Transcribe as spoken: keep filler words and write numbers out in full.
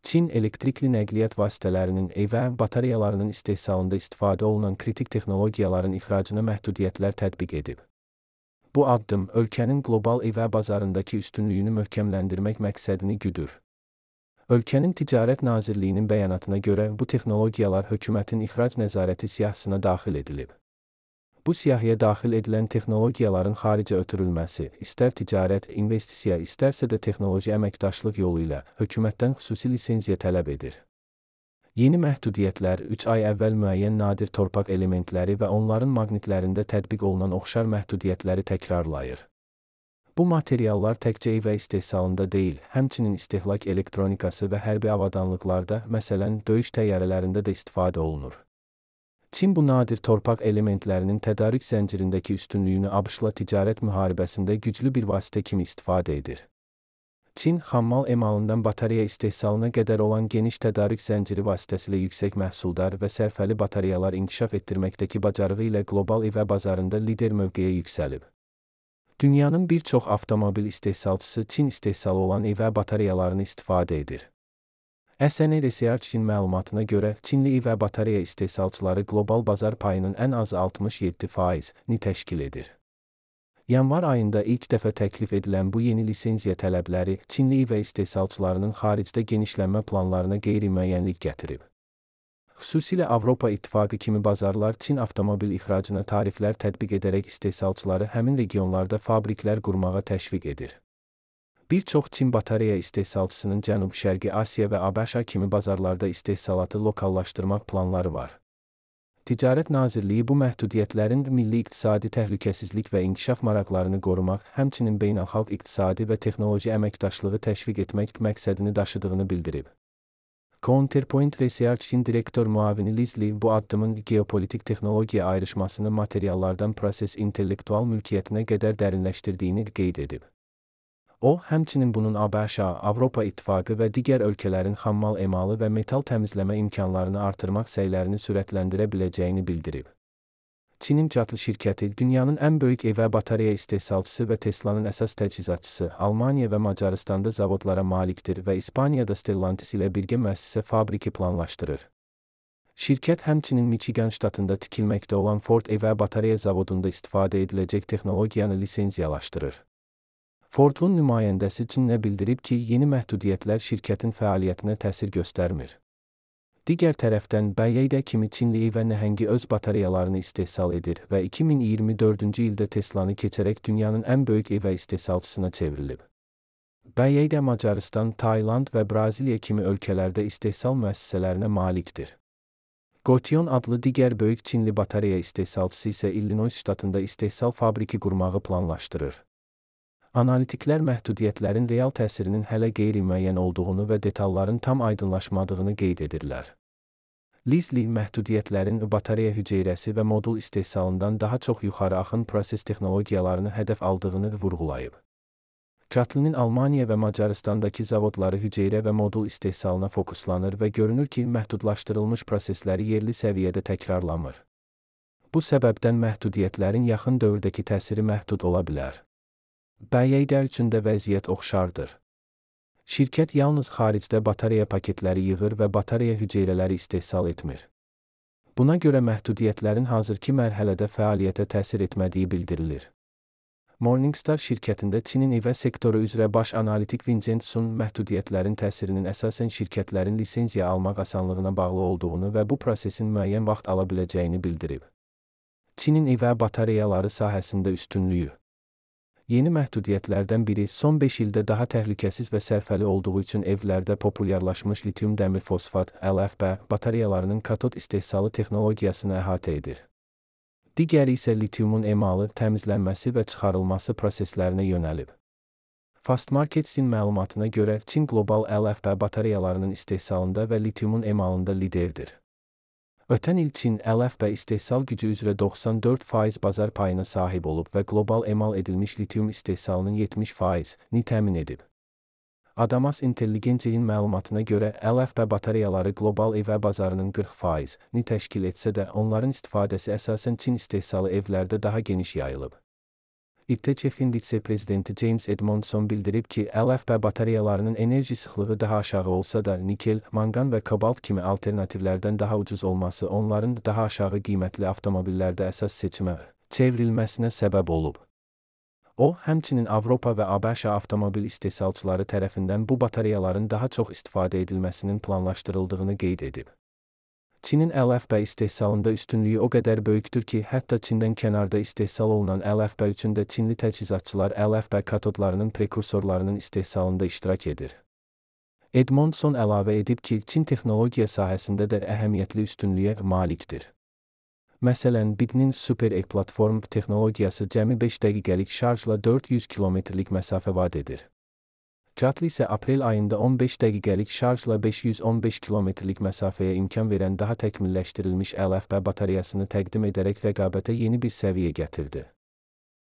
Çin elektrikli nəqliyyat vasitələrinin evə batareyalarının istehsalında istifadə olunan kritik texnologiyaların ixracına məhdudiyyətlər tətbiq edib. Bu addım ölkənin qlobal evə bazarındakı üstünlüyünü möhkəmləndirmək məqsədini güdür. Ölkənin Ticarət Nazirliyinin bəyanatına görə bu texnologiyalar hökumətin ixrac nəzarəti siyahısına daxil edilib. Bu siyahıya daxil edilən texnologiyaların xaricə ötürülməsi, istər ticarət, investisiya, istərsə də texnoloji əməkdaşlıq yolu ilə hökumətdən xüsusi lisenziya tələb edir. Yeni məhdudiyyətlər üç ay əvvəl müəyyən nadir torpaq elementləri və onların maqnitlərində tətbiq olunan oxşar məhdudiyyətləri təkrarlayır. Bu materiallar təkcə evə istehsalında deyil, həmçinin istehlak elektronikası və hərbi avadanlıqlarda, məsələn, döyüş təyyarələrində də istifadə olunur. Çin bu nadir torpaq elementlərinin tədarük zəncirindəki üstünlüyünü ABŞ-la ticarət müharibəsində güclü bir vasitə kimi istifadə edir. Çin, xammal emalından batareya istehsalına qədər olan geniş tədarük zənciri vasitəsilə yüksək məhsuldar və sərfəli batareyalar inkişaf etdirməkdəki bacarığı ilə qlobal evə bazarında lider mövqeyə yüksəlib. Dünyanın bir çox avtomobil istehsalçısı Çin istehsalı olan evə batareyalarını istifadə edir. S N Research-in məlumatına görə, Çinli evə batareya istehsalçıları qlobal bazar payının ən azı altmış yeddi faizini təşkil edir. Yanvar ayında ilk dəfə təklif edilən bu yeni lisenziya tələbləri Çinli evə istehsalçılarının xaricdə genişlənmə planlarına qeyri-müəyyənlik gətirib. Xüsusilə Avropa İttifaqı kimi bazarlar Çin avtomobil ixracına tariflər tətbiq edərək istehsalçıları həmin regionlarda fabriklər qurmağa təşviq edir. Bir çox Çin batareya istehsalçısının Cənub-Şərqi Asiya və ABŞ kimi bazarlarda istehsalatı lokallaşdırmaq planları var. Ticarət Nazirliyi bu məhdudiyyətlərin milli iqtisadi təhlükəsizlik və inkişaf maraqlarını qorumaq, həmçinin beynəlxalq iqtisadi və texnoloji əməkdaşlığı təşviq etmək məqsədini daşıdığını bildirib. Counterpoint Research-in direktor müavini Liz Li bu addımın geopolitik texnologiya ayrışmasını materiallardan proses intellektual mülkiyyətinə qədər dərinləşdirdiyini qeyd edib. O, həmçinin bunun ABŞ, Avropa İttifaqı və digər ölkələrin xammal emalı və metal təmizləmə imkanlarını artırmaq səylərini sürətləndirə biləcəyini bildirib. Çinin Catl şirkəti, dünyanın ən böyük evə batareya istehsalçısı və Tesla'nın əsas təchizatçısı, Almaniya və Macaristanda zavodlara malikdir və İspaniyada Stellantis ilə birgə müəssisə fabriki planlaşdırır. Şirkət həmçinin Michigan ştatında tikilməkdə olan Ford evə batareya zavodunda istifadə ediləcək texnologiyanı lisenziyalaşdırır. Ford'un nümayəndəsi Çinə bildirib ki, yeni məhdudiyyətlər şirkətin fəaliyyətinə təsir göstərmir. Digər tərəfdən, B Y D kimi Çinli evə nəhəngi öz batareyalarını istehsal edir və iki min iyirmi dördüncü ildə Tesla'nı keçərək dünyanın ən böyük evə istehsalçısına çevrilib. B Y D Macaristan, Tayland və Braziliya kimi ölkələrdə istehsal müəssisələrinə malikdir. Gotion adlı digər böyük Çinli batareya istehsalçısı isə Illinois ştatında istehsal fabriki qurmağı planlaşdırır. Analitiklər məhdudiyyətlərin real təsirinin hələ qeyri-müəyyən olduğunu və detalların tam aydınlaşmadığını qeyd edirlər. Liz Li məhdudiyyətlərin batareya hüceyrəsi və modul istehsalından daha çox yuxarı axın proses texnologiyalarını hədəf aldığını vurğulayıb. Catl'nin Almaniya və Macaristandakı zavodları hüceyrə və modul istehsalına fokuslanır və görünür ki, məhdudlaşdırılmış prosesləri yerli səviyyədə təkrarlamır. Bu səbəbdən məhdudiyyətlərin yaxın dövrdəki təsiri məhdud ola bilər. B Y D üçün də vəziyyət oxşardır. Şirkət yalnız xaricdə batareya paketləri yığır və batareya hüceyrələri istehsal etmir. Buna görə məhdudiyyətlərin hazırki mərhələdə fəaliyyətə təsir etmədiyi bildirilir. Morningstar şirkətində Çinin evə sektoru üzrə baş analitik Vincent Sun məhdudiyyətlərin təsirinin əsasən şirkətlərin lisenziya almaq asanlığına bağlı olduğunu və bu prosesin müəyyən vaxt ala biləcəyini bildirib. Çinin evə batareyaları sahəsində üstünlüyü. Yeni məhdudiyyətlərdən biri son beş ildə daha təhlükəsiz və sərfəli olduğu üçün evlərdə populyarlaşmış litium dəmir fosfat L F P batareyalarının katod istehsalı texnologiyasını əhatə edir. Digəri isə litiumun emalı, təmizlənməsi və çıxarılması proseslərinə yönəlib. Fastmarkets-in məlumatına görə Çin qlobal L F P batareyalarının istehsalında və litiumun emalında liderdir. Ötən il Çin L F P istehsal gücü üzrə doxsan dörd faiz bazar payına sahib olub və qlobal emal edilmiş litium istehsalının yetmiş faizini təmin edib. Adamas Intelligence'in məlumatına görə L F P batareyaları qlobal evə bazarının qırx faizini təşkil etsə də, onların istifadəsi əsasən Çin istehsalı evlərdə daha geniş yayılıb. İ T Ç-in vitse-prezidenti James Edmondson bildirib ki, L F P batareyalarının enerji sıxlığı daha aşağı olsa da nikel, manqan və kabalt kimi alternativlərdən daha ucuz olması onların daha aşağı qiymətli avtomobillərdə əsas seçimə çevrilməsinə səbəb olub. O, həmçinin Avropa və ABŞ avtomobil istehsalçıları tərəfindən bu batareyaların daha çox istifadə edilməsinin planlaşdırıldığını qeyd edib. Çinin L F P istehsalında üstünlüyü o qədər böyükdür ki, hətta Çindən kənarda istehsal olunan L F P üçün də Çinli təchizatçılar L F P katodlarının prekursorlarının istehsalında iştirak edir. Edmondson əlavə edib ki, Çin texnologiya sahəsində də əhəmiyyətli üstünlüyə malikdir. Məsələn, B I D-nin Super E platform texnologiyası cəmi beş dəqiqəlik şarjla dörd yüz kilometrlik məsafə vad edir. Katl isə aprel ayında on beş dəqiqəlik şarjla beş yüz on beş kilometrlik məsafəyə imkan verən daha təkmilləşdirilmiş L F P batareyasını təqdim edərək rəqabətə yeni bir səviyyə gətirdi.